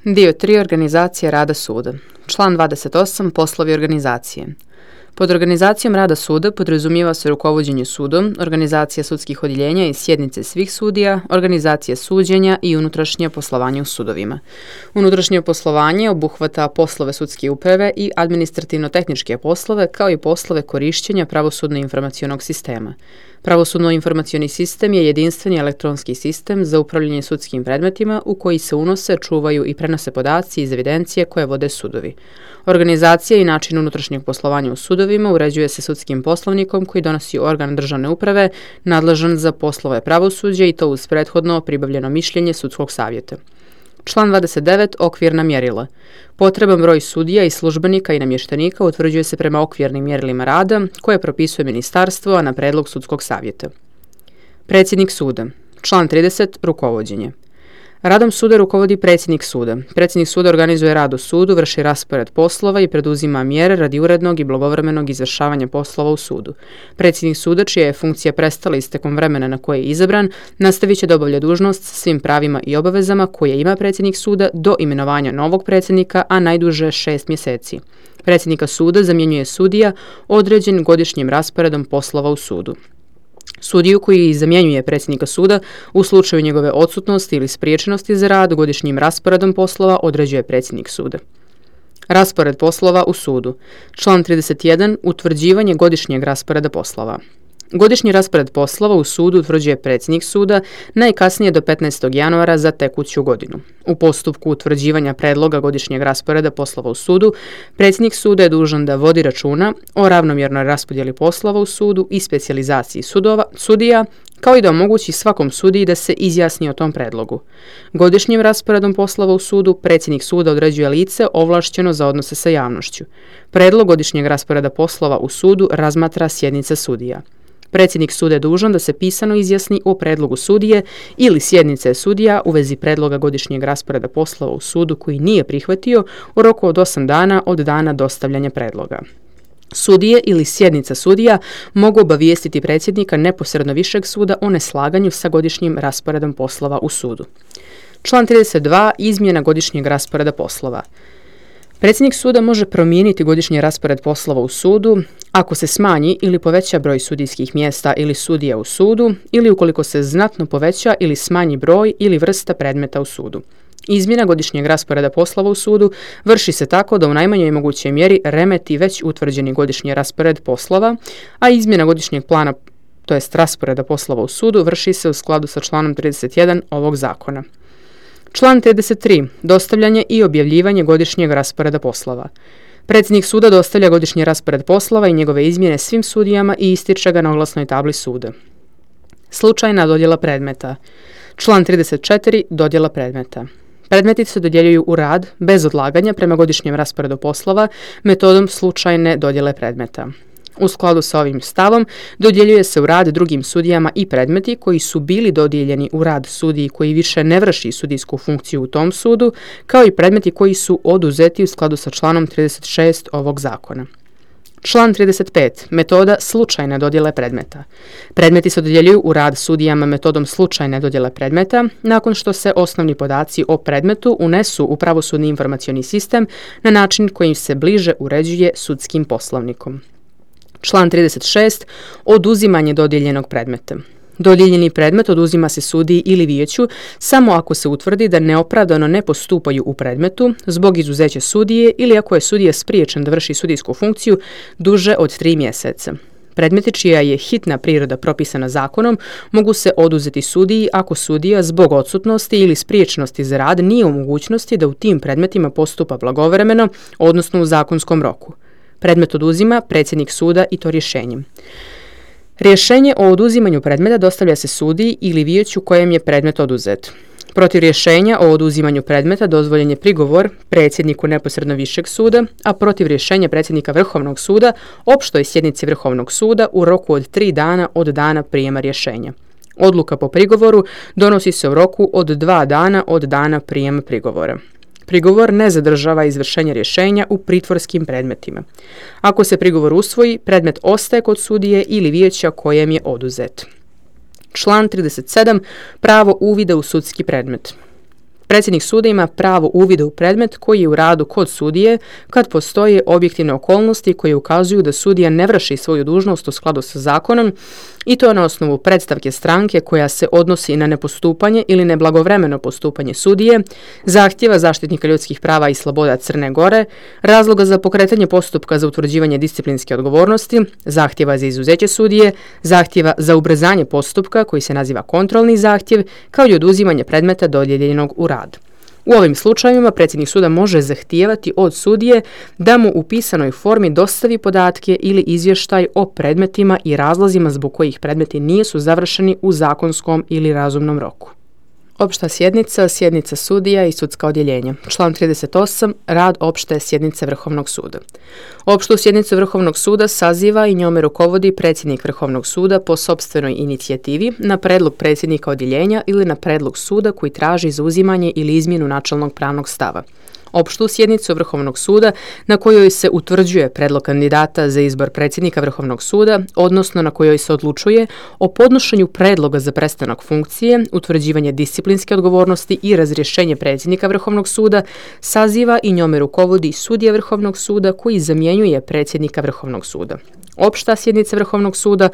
Dio 3. Organizacija rada suda. Član 28. Poslovi organizacije. Pod organizacijom rada suda podrazumijeva se rukovođenje sudom, organizacija sudskih odjeljenja i sjednice svih sudija, organizacija suđenja i unutrašnje poslovanje u sudovima. Unutrašnje poslovanje obuhvata poslove sudske uprave i administrativno-tehničke poslove, kao i poslove korišćenja pravosudno-informacionog sistema. Pravosudno-informacioni sistem je jedinstveni elektronski sistem za upravljanje sudskim predmetima u koji se unose, čuvaju i prenose podaci iz evidencije koje vode sudovi. Organizacija i način unutrašnjeg poslovanja u sudovima uređuje se sudskim poslovnikom koji donosi organ državne uprave nadležan za poslove pravosuđa i to uz prethodno pribavljeno mišljenje sudskog savjeta. Član 29. Okvirna mjerila. Potreban broj sudija i službenika i namještenika utvrđuje se prema okvirnim mjerilima rada koje propisuje ministarstvo, a na predlog sudskog savjeta. Predsjednik suda. Član 30. Rukovođenje. Radom suda rukovodi predsjednik suda. Predsjednik suda organizuje rad u sudu, vrši raspored poslova i preduzima mjere radi urednog i blagovremenog izvršavanja poslova u sudu. Predsjednik suda, čija je funkcija prestala istekom vremena na koje je izabran, nastavit će da obavlja dužnost s svim pravima i obavezama koje ima predsjednik suda do imenovanja novog predsjednika, a najduže 6 mjeseci. Predsjednika suda zamjenjuje sudija određen godišnjim rasporedom poslova u sudu. Sudiju koji zamjenjuje predsjednika suda u slučaju njegove odsutnosti ili spriječenosti za rad godišnjim rasporedom poslova određuje predsjednik suda. Raspored poslova u sudu. Član 31. Utvrđivanje godišnjeg rasporeda poslova. Godišnji raspored poslova u sudu utvrđuje predsjednik suda najkasnije do 15. januara za tekuću godinu. U postupku utvrđivanja predloga godišnjeg rasporeda poslova u sudu, predsjednik suda je dužan da vodi računa o ravnomjernoj raspodjeli poslova u sudu i specijalizaciji sudija, kao i da omogući svakom sudiji da se izjasni o tom predlogu. Godišnjim rasporedom poslova u sudu predsjednik suda određuje lice ovlašćeno za odnose sa javnošću. Predlog godišnjeg rasporeda poslova u sudu razmatra sjednica sudija. Predsjednik suda je dužan da se pisano izjasni o predlogu sudije ili sjednice sudija u vezi predloga godišnjeg rasporeda poslova u sudu koji nije prihvatio u roku od 8 dana od dana dostavljanja predloga. Sudije ili sjednica sudija mogu obavijestiti predsjednika neposredno višeg suda o neslaganju sa godišnjim rasporedom poslova u sudu. Član 32. Izmjena godišnjeg rasporeda poslova. Predsjednik suda može promijeniti godišnji raspored poslova u sudu ako se smanji ili poveća broj sudijskih mjesta ili sudija u sudu ili ukoliko se znatno poveća ili smanji broj ili vrsta predmeta u sudu. Izmjena godišnjeg rasporeda poslova u sudu vrši se tako da u najmanjoj mogućoj mjeri remeti već utvrđeni godišnji raspored poslova, a izmjena godišnjeg plana, to jest rasporeda poslova u sudu, vrši se u skladu sa članom 31 ovog zakona. Član 33. Dostavljanje i objavljivanje godišnjeg rasporeda poslova. Predsjednik suda dostavlja godišnji raspored poslova i njegove izmjene svim sudijama i ističe ga na oglasnoj tabli suda. Slučajna dodjela predmeta. Član 34. Dodjela predmeta. Predmeti se dodjeljuju u rad bez odlaganja prema godišnjem rasporedu poslova metodom slučajne dodjele predmeta. U skladu sa ovim stavom dodjeljuje se u rad drugim sudijama i predmeti koji su bili dodijeljeni u rad sudiji koji više ne vrši sudijsku funkciju u tom sudu, kao i predmeti koji su oduzeti u skladu sa članom 36 ovog zakona. Član 35. Metoda slučajne dodjele predmeta. Predmeti se dodjeljuju u rad sudijama metodom slučajne dodjele predmeta nakon što se osnovni podaci o predmetu unesu u pravosudni informacioni sistem na način kojim se bliže uređuje sudskim poslovnikom. Član 36. Oduzimanje dodijeljenog predmeta. Dodijeljeni predmet oduzima se sudiji ili vijeću samo ako se utvrdi da neopravdano ne postupaju u predmetu zbog izuzeća sudije ili ako je sudija spriječen da vrši sudijsku funkciju duže od 3 mjeseca. Predmeti čija je hitna priroda propisana zakonom mogu se oduzeti sudiji ako sudija zbog odsutnosti ili spriječenosti za rad nije u mogućnosti da u tim predmetima postupa blagovremeno, odnosno u zakonskom roku. Predmet oduzima predsjednik suda i to rješenjem. Rješenje o oduzimanju predmeta dostavlja se sudiji ili vijeću kojem je predmet oduzet. Protiv rješenja o oduzimanju predmeta dozvoljen je prigovor predsjedniku neposredno višeg suda, a protiv rješenja predsjednika Vrhovnog suda opštoj sjednici Vrhovnog suda u roku od 3 dana od dana prijema rješenja. Odluka po prigovoru donosi se u roku od 2 dana od dana prijema prigovora. Prigovor ne zadržava izvršenje rješenja u pritvorskim predmetima. Ako se prigovor usvoji, predmet ostaje kod sudije ili vijeća kojem je oduzet. Član 37. Pravo uvida u sudski predmet. Predsjednik suda ima pravo uvida u predmet koji je u radu kod sudije kad postoje objektivne okolnosti koje ukazuju da sudija ne vrši svoju dužnost u skladu sa zakonom i to na osnovu predstavke stranke koja se odnosi na nepostupanje ili neblagovremeno postupanje sudije, zahtjeva zaštitnika ljudskih prava i sloboda Crne Gore, razloga za pokretanje postupka za utvrđivanje disciplinske odgovornosti, zahtjeva za izuzeće sudije, zahtjeva za ubrzanje postupka koji se naziva kontrolni zahtjev, kao i oduzimanje predmeta dodijeljenog u rad. U ovim slučajevima predsjednik suda može zahtijevati od sudije da mu u pisanoj formi dostavi podatke ili izvještaj o predmetima i razlozima zbog kojih predmeti nisu završeni u zakonskom ili razumnom roku. Opšta sjednica, sjednica sudija i sudska odjeljenja. Član 38. Rad opšte sjednice Vrhovnog suda. Opštu sjednicu Vrhovnog suda saziva i njome rukovodi predsjednik Vrhovnog suda po sopstvenoj inicijativi na predlog predsjednika odjeljenja ili na predlog suda koji traži zauzimanje ili izmjenu načelnog pravnog stava. Opštu sjednicu Vrhovnog suda na kojoj se utvrđuje predlog kandidata za izbor predsjednika Vrhovnog suda, odnosno na kojoj se odlučuje o podnošenju predloga za prestanak funkcije, utvrđivanje disciplinske odgovornosti i razrješenje predsjednika Vrhovnog suda, saziva i njome rukovodi sudija Vrhovnog suda koji zamjenjuje predsjednika Vrhovnog suda. Opšta sjednica Vrhovnog suda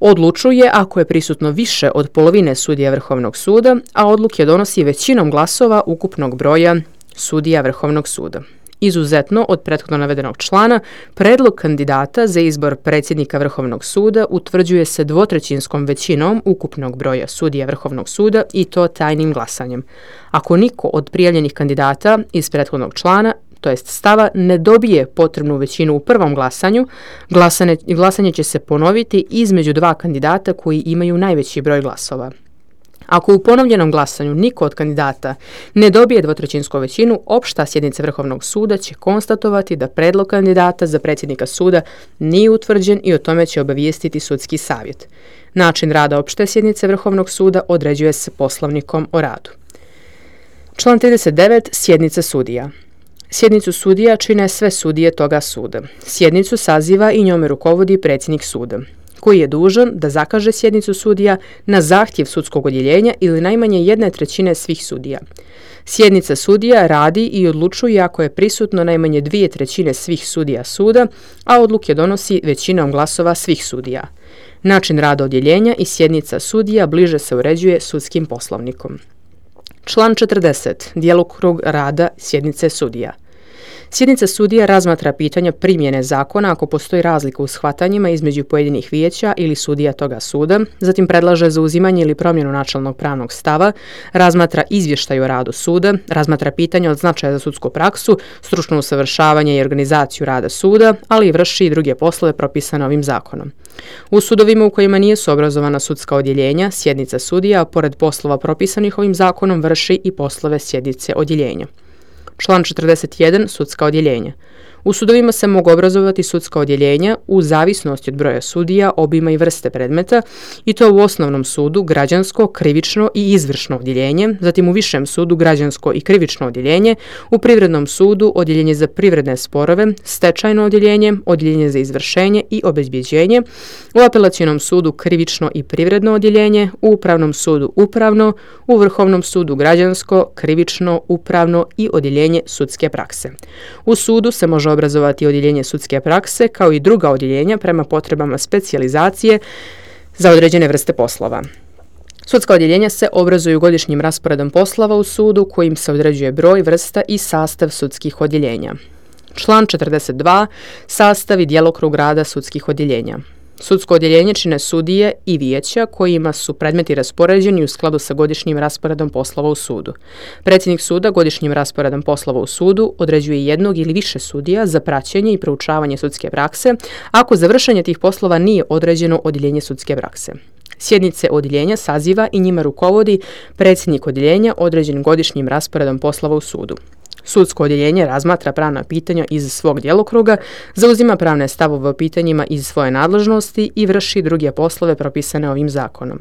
odlučuje ako je prisutno više od polovine sudija Vrhovnog suda, a odluke donosi većinom glasova ukupnog broja sudija Vrhovnog suda. Izuzetno od prethodno navedenog člana, predlog kandidata za izbor predsjednika Vrhovnog suda utvrđuje se dvotrećinskom većinom ukupnog broja sudija Vrhovnog suda i to tajnim glasanjem. Ako niko od prijavljenih kandidata iz prethodnog člana, to jest stava, ne dobije potrebnu većinu u prvom glasanju, glasanje će se ponoviti između dva kandidata koji imaju najveći broj glasova. Ako u ponovljenom glasanju niko od kandidata ne dobije dvotrećinsku većinu, opšta sjednica Vrhovnog suda će konstatovati da predlog kandidata za predsjednika suda nije utvrđen i o tome će obavijestiti sudski savjet. Način rada opšte sjednice Vrhovnog suda određuje se poslovnikom o radu. Član 39. Sjednica sudija. Sjednicu sudija čine sve sudije toga suda. Sjednicu saziva i njome rukovodi predsjednik suda, koji je dužan da zakaže sjednicu sudija na zahtjev sudskog odjeljenja ili najmanje 1/3 svih sudija. Sjednica sudija radi i odlučuje ako je prisutno najmanje 2/3 svih sudija suda, a odluke donosi većinom glasova svih sudija. Način rada odjeljenja i sjednica sudija bliže se uređuje sudskim poslovnikom. Član 40. Djelokrug rada sjednice sudija. Sjednica sudija razmatra pitanja primjene zakona ako postoji razlika u shvatanjima između pojedinih vijeća ili sudija toga suda, zatim predlaže zauzimanje ili promjenu načelnog pravnog stava, razmatra izvještaj o radu suda, razmatra pitanja od značaja za sudsku praksu, stručno usavršavanje i organizaciju rada suda, ali i vrši i druge poslove propisane ovim zakonom. U sudovima u kojima nisu obrazovana sudska odjeljenja, sjednica sudija, pored poslova propisanih ovim zakonom, vrši i poslove sjednice odjeljenja. Član 41. Sudska odjeljenja. U sudovima se mogu obrazovati sudska odjeljenja u zavisnosti od broja sudija, obima i vrste predmeta, i to u osnovnom sudu građansko, krivično i izvršno odjeljenje, zatim u višem sudu građansko i krivično odjeljenje, u privrednom sudu odjeljenje za privredne sporove, stečajno odjeljenje, odjeljenje za izvršenje i obezbjeđenje, u apelacionom sudu krivično i privredno odjeljenje, u upravnom sudu upravno, u vrhovnom sudu građansko, krivično, upravno i odjeljenje sudske prakse. U sudu se može obrazovati odjeljenje sudske prakse kao i druga odjeljenja prema potrebama specijalizacije za određene vrste poslova. Sudska odjeljenja se obrazuju godišnjim rasporedom poslova u sudu kojim se određuje broj, vrsta i sastav sudskih odjeljenja. Član 42. Sastav i djelokrug rada sudskih odjeljenja. Sudsko odjeljenje čine sudije i vijeća kojima su predmeti raspoređeni u skladu sa godišnjim rasporedom poslova u sudu. Predsjednik suda godišnjim rasporedom poslova u sudu određuje jednog ili više sudija za praćenje i proučavanje sudske prakse, ako za vršenje tih poslova nije određeno odjeljenje sudske prakse. Sjednice odjeljenja saziva i njima rukovodi predsjednik odjeljenja određen godišnjim rasporedom poslova u sudu. Sudsko odjeljenje razmatra pravna pitanja iz svog djelokruga, zauzima pravne stavove o pitanjima iz svoje nadležnosti i vrši druge poslove propisane ovim zakonom.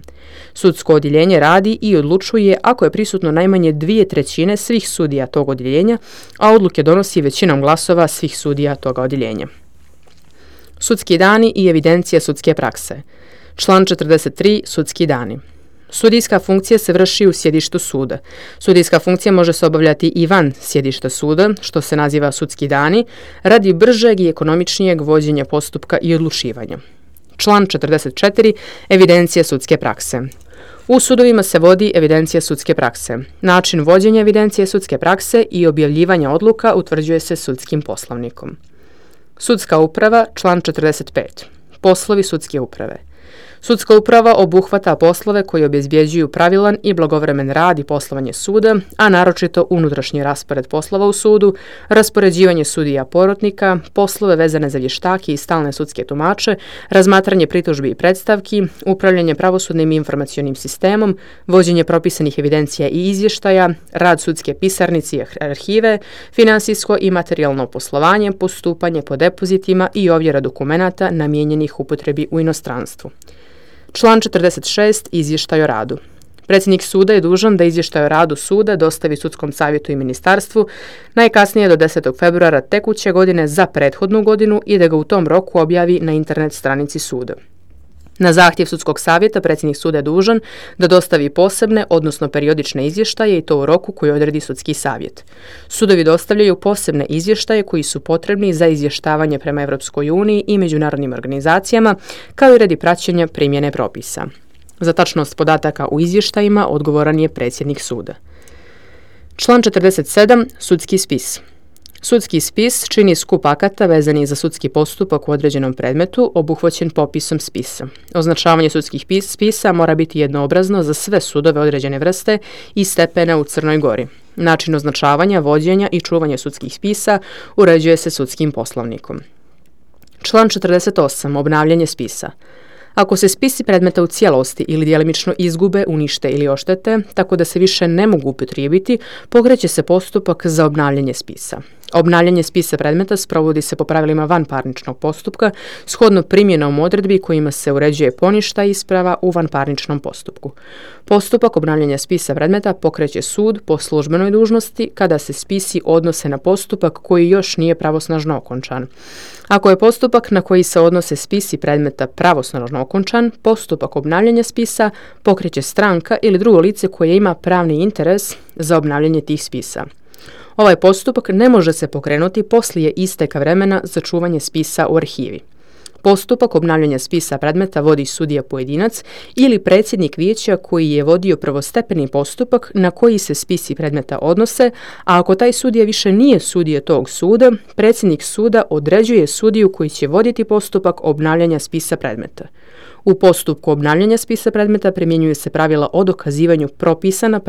Sudsko odjeljenje radi i odlučuje ako je prisutno najmanje 2/3 svih sudija tog odjeljenja, a odluke donosi većinom glasova svih sudija toga odjeljenja. Sudski dani i evidencija sudske prakse. Član 43. Sudski dani. Sudijska funkcija se vrši u sjedištu suda. Sudijska funkcija može se obavljati i van sjedišta suda, što se naziva sudski dani, radi bržeg i ekonomičnijeg vođenja postupka i odlučivanja. Član 44. Evidencija sudske prakse. U sudovima se vodi evidencija sudske prakse. Način vođenja evidencije sudske prakse i objavljivanja odluka utvrđuje se sudskim poslovnikom. Sudska uprava, član 45. Poslovi sudske uprave. Sudska uprava obuhvata poslove koji obezbjeđuju pravilan i blagovremen rad i poslovanje suda, a naročito unutrašnji raspored poslova u sudu, raspoređivanje sudija porotnika, poslove vezane za vještake i stalne sudske tumače, razmatranje pritužbi i predstavki, upravljanje pravosudnim i informacionim sistemom, vođenje propisanih evidencija i izvještaja, rad sudske pisarnice i arhive, finansijsko i materijalno poslovanje, postupanje po depozitima i ovjera dokumenata namijenjenih upotrebi u inostranstvu. Član 46. Izvještaj o radu. Predsjednik suda je dužan da izvještaj o radu suda dostavi sudskom savjetu i ministarstvu najkasnije do 10. februara tekuće godine za prethodnu godinu i da ga u tom roku objavi na internet stranici suda. Na zahtjev sudskog savjeta predsjednik suda je dužan da dostavi posebne, odnosno periodične izvještaje i to u roku koji odredi sudski savjet. Sudovi dostavljaju posebne izvještaje koji su potrebni za izvještavanje prema Europskoj uniji i međunarodnim organizacijama, kao i radi praćenja primjene propisa. Za tačnost podataka u izvještajima odgovoran je predsjednik suda. Član 47. Sudski spis. Sudski spis čini skup akata vezanih za sudski postupak u određenom predmetu obuhvaćen popisom spisa. Označavanje sudskih spisa mora biti jednoobrazno za sve sudove određene vrste i stepena u Crnoj Gori. Način označavanja, vođenja i čuvanja sudskih spisa uređuje se sudskim poslovnikom. Član 48. Obnavljanje spisa. Ako se spisi predmeta u cijelosti ili djelimično izgube, unište ili oštete, tako da se više ne mogu upotrijebiti, pokreće se postupak za obnavljanje spisa. Obnavljanje spisa predmeta sprovodi se po pravilima vanparničnog postupka, shodno primjenom odredbi kojima se uređuje poništaj isprava u vanparničnom postupku. Postupak obnavljanja spisa predmeta pokreće sud po službenoj dužnosti kada se spisi odnose na postupak koji još nije pravosnažno okončan. Ako je postupak na koji se odnose spisi predmeta pravosnažno okončan, postupak obnavljanja spisa pokreće stranka ili drugo lice koje ima pravni interes za obnavljanje tih spisa. Ovaj postupak ne može se pokrenuti poslije isteka vremena za čuvanje spisa u arhivi. Postupak obnavljanja spisa predmeta vodi sudija pojedinac ili predsjednik vijeća koji je vodio prvostepeni postupak na koji se spisi predmeta odnose, a ako taj sudija više nije sudija tog suda, predsjednik suda određuje sudiju koji će voditi postupak obnavljanja spisa predmeta. U postupku obnavljanja spisa predmeta primjenjuju se pravila o dokazivanju propisana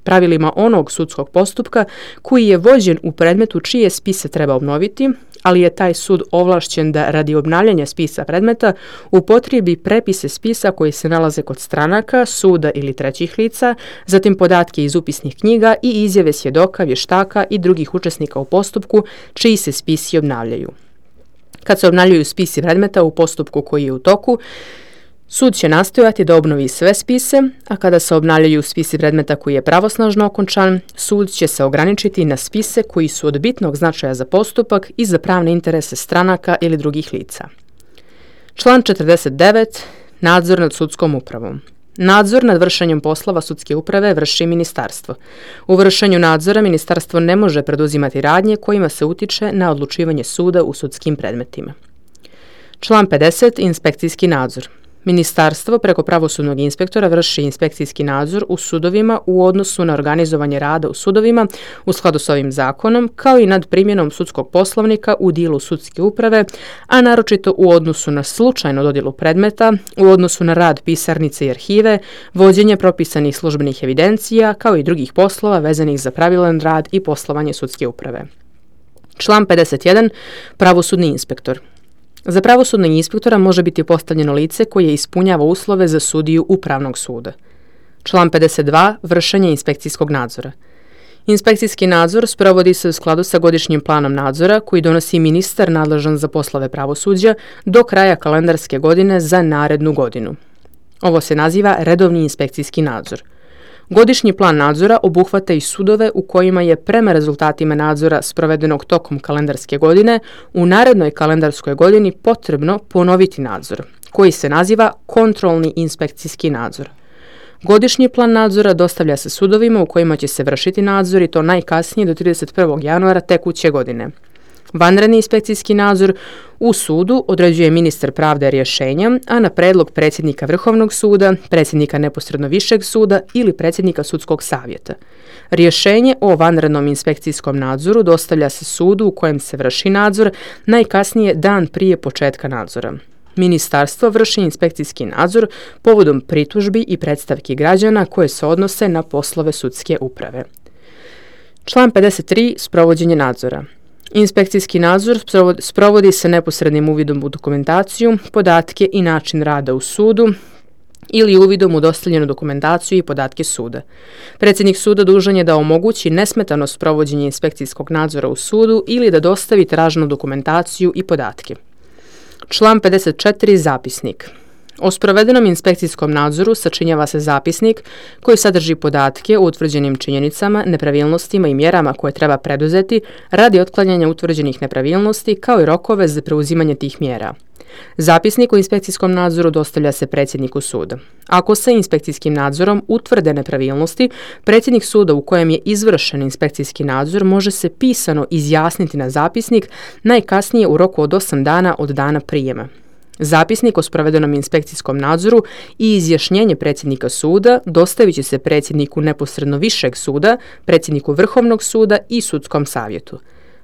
pravilima onog sudskog postupka koji je vođen u predmetu čije spise treba obnoviti, ali je taj sud ovlašćen da radi obnavljanja spisa predmeta upotrijebi prepise spisa koji se nalaze kod stranaka, suda ili trećih lica, zatim podatke iz upisnih knjiga i izjave svjedoka, vještaka i drugih učesnika u postupku čiji se spisi obnavljaju. Kad se obnavljaju spisi predmeta u postupku koji je u toku, sud će nastojati da obnovi sve spise, a kada se obnavljaju spisi predmeta koji je pravosnažno okončan, sud će se ograničiti na spise koji su od bitnog značaja za postupak i za pravne interese stranaka ili drugih lica. Član 49. Nadzor nad sudskom upravom. Nadzor nad vršenjem poslova sudske uprave vrši ministarstvo. U vršenju nadzora ministarstvo ne može preduzimati radnje kojima se utiče na odlučivanje suda u sudskim predmetima. Član 50. Inspekcijski nadzor. Ministarstvo preko pravosudnog inspektora vrši inspekcijski nadzor u sudovima u odnosu na organizovanje rada u sudovima u skladu s ovim zakonom, kao i nad primjenom sudskog poslovnika u dijelu sudske uprave, a naročito u odnosu na slučajnu dodjelu predmeta, u odnosu na rad pisarnice i arhive, vođenje propisanih službenih evidencija, kao i drugih poslova vezanih za pravilan rad i poslovanje sudske uprave. Član 51. Pravosudni inspektor. Za pravosudnog inspektora može biti postavljeno lice koje ispunjava uslove za sudiju upravnog suda. Član 52. Vršenje inspekcijskog nadzora. Inspekcijski nadzor sprovodi se u skladu sa godišnjim planom nadzora koji donosi ministar nadležan za poslove pravosuđa do kraja kalendarske godine za narednu godinu. Ovo se naziva redovni inspekcijski nadzor. Godišnji plan nadzora obuhvata i sudove u kojima je prema rezultatima nadzora sprovedenog tokom kalendarske godine u narednoj kalendarskoj godini potrebno ponoviti nadzor, koji se naziva kontrolni inspekcijski nadzor. Godišnji plan nadzora dostavlja se sudovima u kojima će se vršiti nadzor i to najkasnije do 31. januara tekuće godine. Vanredni inspekcijski nadzor u sudu određuje ministar pravde rješenjem, a na predlog predsjednika Vrhovnog suda, predsjednika neposredno višeg suda ili predsjednika sudskog savjeta. Rješenje o vanrednom inspekcijskom nadzoru dostavlja se sudu u kojem se vrši nadzor najkasnije dan prije početka nadzora. Ministarstvo vrši inspekcijski nadzor povodom pritužbi i predstavki građana koje se odnose na poslove sudske uprave. Član 53. Sprovođenje nadzora. Inspekcijski nadzor sprovodi se neposrednim uvidom u dokumentaciju, podatke i način rada u sudu ili uvidom u dostavljenu dokumentaciju i podatke suda. Predsjednik suda dužan je da omogući nesmetano sprovođenje inspekcijskog nadzora u sudu ili da dostavi traženu dokumentaciju i podatke. Član 54. Zapisnik. O sprovedenom inspekcijskom nadzoru sačinjava se zapisnik koji sadrži podatke o utvrđenim činjenicama, nepravilnostima i mjerama koje treba preduzeti radi otklanjanja utvrđenih nepravilnosti kao i rokove za preuzimanje tih mjera. Zapisnik o inspekcijskom nadzoru dostavlja se predsjedniku suda. Ako se inspekcijskim nadzorom utvrde nepravilnosti, predsjednik suda u kojem je izvršen inspekcijski nadzor može se pisano izjasniti na zapisnik najkasnije u roku od 8 dana od dana prijema. Zapisnik o sprovedenom inspekcijskom nadzoru i izjašnjenje predsjednika suda dostavit će se predsjedniku neposredno višeg suda, predsjedniku Vrhovnog suda i sudskom savjetu.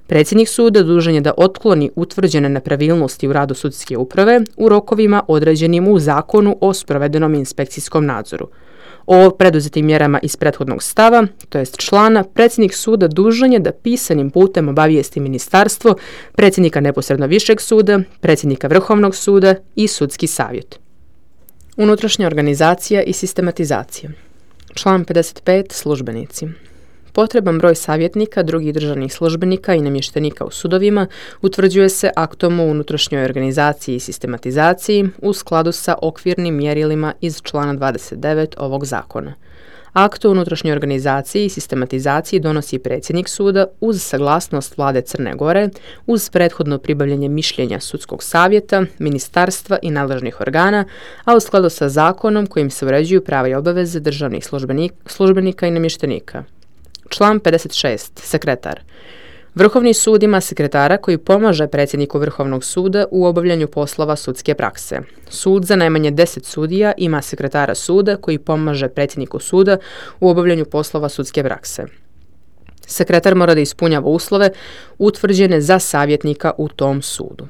Predsjednik suda dužan je da otkloni utvrđene nepravilnosti u radu sudske uprave u rokovima određenim u Zakonu o sprovedenom inspekcijskom nadzoru. O preduzetim mjerama iz prethodnog stava, to jest člana, predsjednik suda dužan je da pisanim putem obavijesti ministarstvo, predsjednika neposredno višeg suda, predsjednika Vrhovnog suda i sudski savjet. Unutrašnja organizacija i sistematizacija. Član 55. Službenici. Potreban broj savjetnika, drugih državnih službenika i namještenika u sudovima utvrđuje se aktom o unutrašnjoj organizaciji i sistematizaciji u skladu sa okvirnim mjerilima iz člana 29 ovog zakona. Akt o unutrašnjoj organizaciji i sistematizaciji donosi predsjednik suda uz saglasnost vlade Crne Gore, uz prethodno pribavljanje mišljenja sudskog savjeta, ministarstva i nadležnih organa, a u skladu sa zakonom kojim se uređuju prava i obaveze državnih službenika i namještenika. Član 56. Sekretar. Vrhovni sud ima sekretara koji pomaže predsjedniku Vrhovnog suda u obavljanju poslova sudske prakse. Sud za najmanje 10 sudija ima sekretara suda koji pomaže predsjedniku suda u obavljanju poslova sudske prakse. Sekretar mora da ispunjava uslove utvrđene za savjetnika u tom sudu.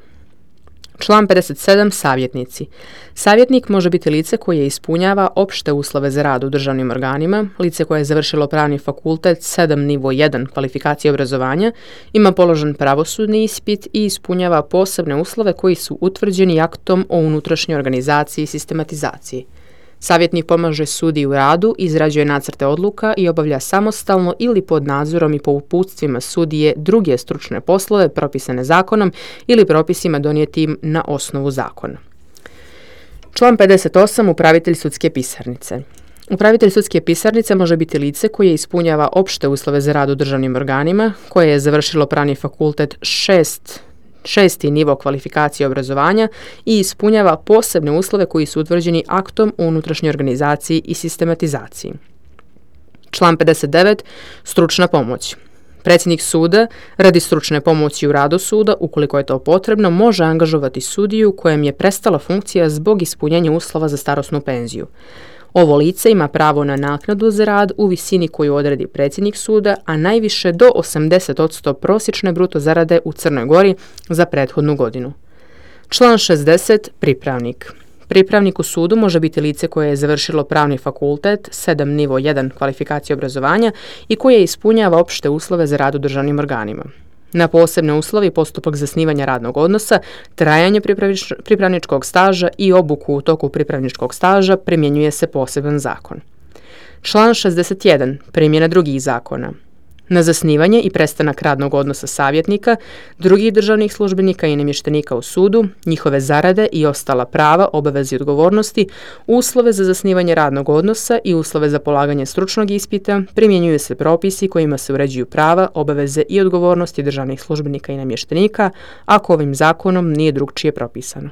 Član 57. Savjetnici. Savjetnik može biti lice koje ispunjava opšte uslove za rad u državnim organima, lice koje je završilo pravni fakultet 7 nivo 1 kvalifikacije obrazovanja, ima položen pravosudni ispit i ispunjava posebne uslove koji su utvrđeni aktom o unutrašnjoj organizaciji i sistematizaciji. Savjetnik pomaže sudiji u radu, izrađuje nacrte odluka i obavlja samostalno ili pod nadzorom i po uputstvima sudije druge stručne poslove propisane zakonom ili propisima donijetim na osnovu zakona. Član 58. Upravitelj sudske pisarnice. Upravitelj sudske pisarnice može biti lice koje ispunjava opšte uslove za rad u državnim organima, koje je završilo pravni fakultet 6. nivo kvalifikacije obrazovanja i ispunjava posebne uslove koji su utvrđeni aktom o unutrašnjoj organizaciji i sistematizaciji. Član 59. Stručna pomoć. Predsjednik suda radi stručne pomoći u radu suda, ukoliko je to potrebno, može angažovati sudiju kojem je prestala funkcija zbog ispunjenja uslova za starosnu penziju. Ovo lice ima pravo na naknadu za rad u visini koju odredi predsjednik suda, a najviše do 80% prosječne bruto zarade u Crnoj Gori za prethodnu godinu. Član 60. Pripravnik. Pripravnik u sudu može biti lice koje je završilo pravni fakultet 7 nivo 1 kvalifikacije obrazovanja i koje ispunjava opšte uslove za rad u državnim organima. Na posebne uslove i postupak zasnivanja radnog odnosa, trajanje pripravničkog staža i obuku u toku pripravničkog staža primjenjuje se poseban zakon. Član 61. Primjena drugih zakona. Na zasnivanje i prestanak radnog odnosa savjetnika, drugih državnih službenika i namještenika u sudu, njihove zarade i ostala prava, obaveze i odgovornosti, uslove za zasnivanje radnog odnosa i uslove za polaganje stručnog ispita, primjenjuju se propisi kojima se uređuju prava, obaveze i odgovornosti državnih službenika i namještenika, ako ovim zakonom nije drugčije propisano.